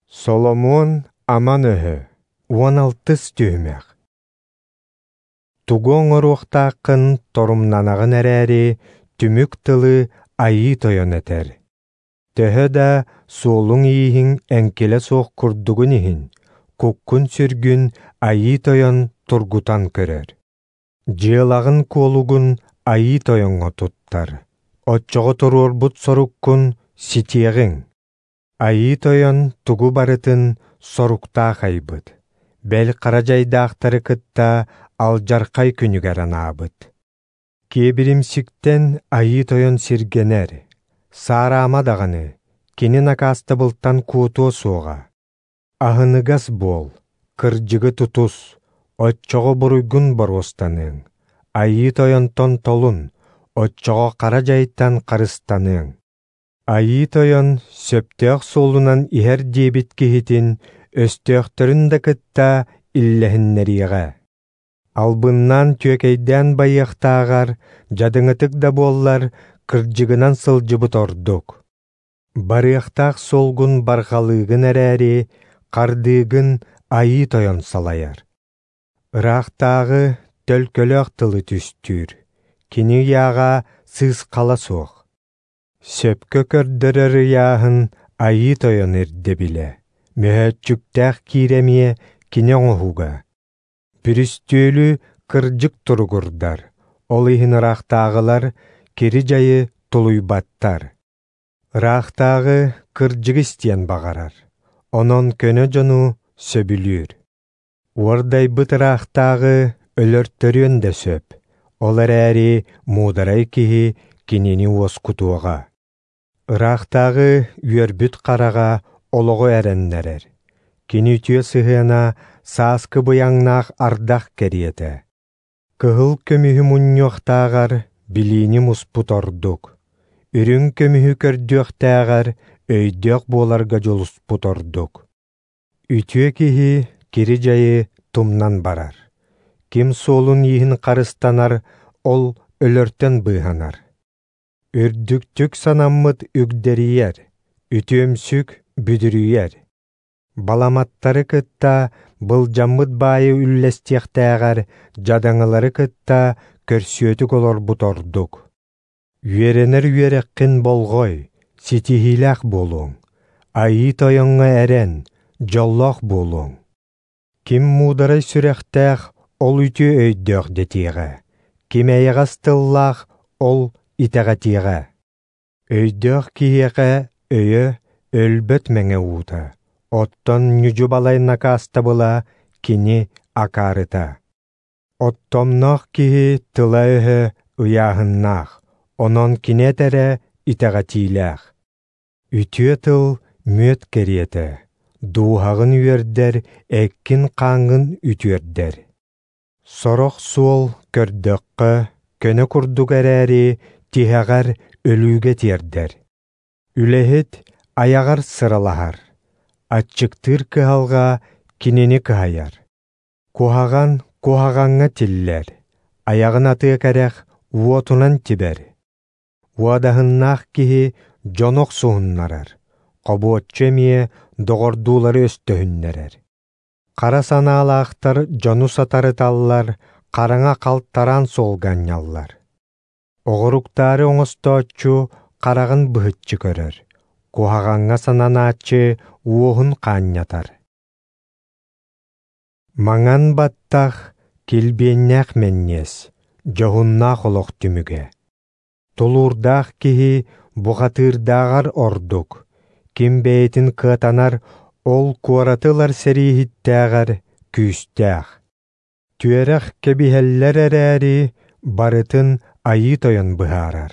Соломуон аман өһө, 16-ыс түһүмэх. Тугу оҥоруохтааххын торумнанаҕын эрээри, түмүк тылы Айыы Тойон этэр. Төһө да суолуҥ-ииһиҥ эҥкилэ суох курдугун иһин, куккун-сүргүн Айыы Тойон тургутан көрөр. Дьыалаҕын-куолугун Айыы Тойоҥҥо туттар, оччоҕо туруорбут соруккун ситиэҕиҥ. Айыы Тойон тугу барытын соруктаах айбыт, бэл хара дьайдаахтары кытта алдьархай күнүгэр анаабыт. Киэбиримсиктэн Айыы Тойон сиргэнэр, саараама даҕаны, кини накаастабылтан куотуо суоҕа. Аһыныгас буол, кырдьыгы тутус, оччоҕо буруйгун боруостаныаҥ. Айыы Тойонтон толун, оччоҕо хара дьайтан харыстаныаҥ. Айыы Тойон сөптөөх суолунан иһэр диэбит киһитин өстөөхтөрүн да кытта иллэһиннэриэҕэ. Албыннаан түөкэйдээн байыахтааҕар, дьадыҥытык да буоллар, кырдьыгынан сылдьыбыт ордук. Барыахтаах суолгун барҕалыыгын эрээри, хардыыгын Айыы Тойон салайар. Ыраахтааҕы төлкөлөөх тылы түстүүр, кини ыйааҕа сыысхала суох. Сөпкө көрдөрөр ыйааһын Айыы Тойон ирдэбилэ, мөһөөччүктээх киирэмиэ кини оҥоһуга. Бүрүстүөлү кырдьык туругурдар, ол иһин ыраахтааҕылар кири-дьайы тулуйбаттар. Ыраахтааҕы кырдьыгы истиэн баҕарар, онон көнө дьону сөбүлүүр. Уордайбыт ыраахтааҕы өлөртөрүөн да сөп, ол эрээри муударай киһи кинини уоскутуоҕа. Ыраахтааҕы үөрбүт хараҕа олоҕу эрэннэрэр. Кини үтүө сыһыана сааскы быйаҥнаах ардах кэриэтэ. Кыһыл көмүһү мунньуохтааҕар билиини муспут ордук. Үрүҥ көмүһү көрдүөхтээҕэр өйдөөх буоларга дьулуспут ордук. Үтүө киһи кири-дьайы тумнан барар. Ким суолун-ииһин харыстанар, ол өлөртөн быыһанар. Үрдүктүк санаммыт үгдэрийэр, үтүөмсүк бүдүрүйэр. Баламаттары кытта былдьаммыт баайы үллэстиэхтээҕэр дьадаҥылары кытта көрсүөтүк олорбут ордук. Үөрэнэр үөрэххин болҕой, ситиһиилээх буолуоҥ. Айыы Тойоҥҥо эрэн, дьоллоох буолуоҥ. Ким муударай сүрэхтээх, ол үтүө өйдөөх дэтиэҕэ. Ким эйэҕэс тыллаах, ол итэҕэтиэҕэ. Өйдөөх киһиэхэ өйө өлбөт мэҥэ уута, оттон ньүдьү-балай накаастабыла кини акаарыта. Оттомноох киһи тыла-өһө ыйааһыннаах, онон кини этэрэ итэҕэтиилээх. Үтүө тыл мүөт кэриэтэ, дууһаҕын үөрдэр, эккин-хааҥҥын үтүөрдэр. Сорох суол көрдөххө, көнө курдук эрээри, тиһэҕэр өлүүгэ тиэрдэр. Үлэһит айаҕар сыралаһар, аччыктыыр кыһалҕа кинини кыһайар. Куһаҕан куһаҕаҥҥа тиллэр, айаҕын атыа кэрэх уотунан тибэр. Уодаһыннаах киһи дьону охсуһуннарар, хобуоччу эмиэ доҕордуулары өстөһүннэрэр. Хара санаалаахтар дьону сатарыталлар, хараҥа халтараан суолга анньаллар. Оҕуруктаары оҥостооччу хараҕын быһыччы көрөр, куһаҕаҥҥа сананааччы уоһун хаанньатар. Маҥан баттах, килбиэннээх мэнньиэс, дьоһуннаах олох түмүгэ. Тулуурдаах киһи бухатыырдааҕар ордук, ким бэйэтин кыатанар, ол куораты ылар сэрииһиттээҕэр күүстээх. Түөрэх кэбиһэллэр эрээри, барытын Айыы Тойон быһаарар.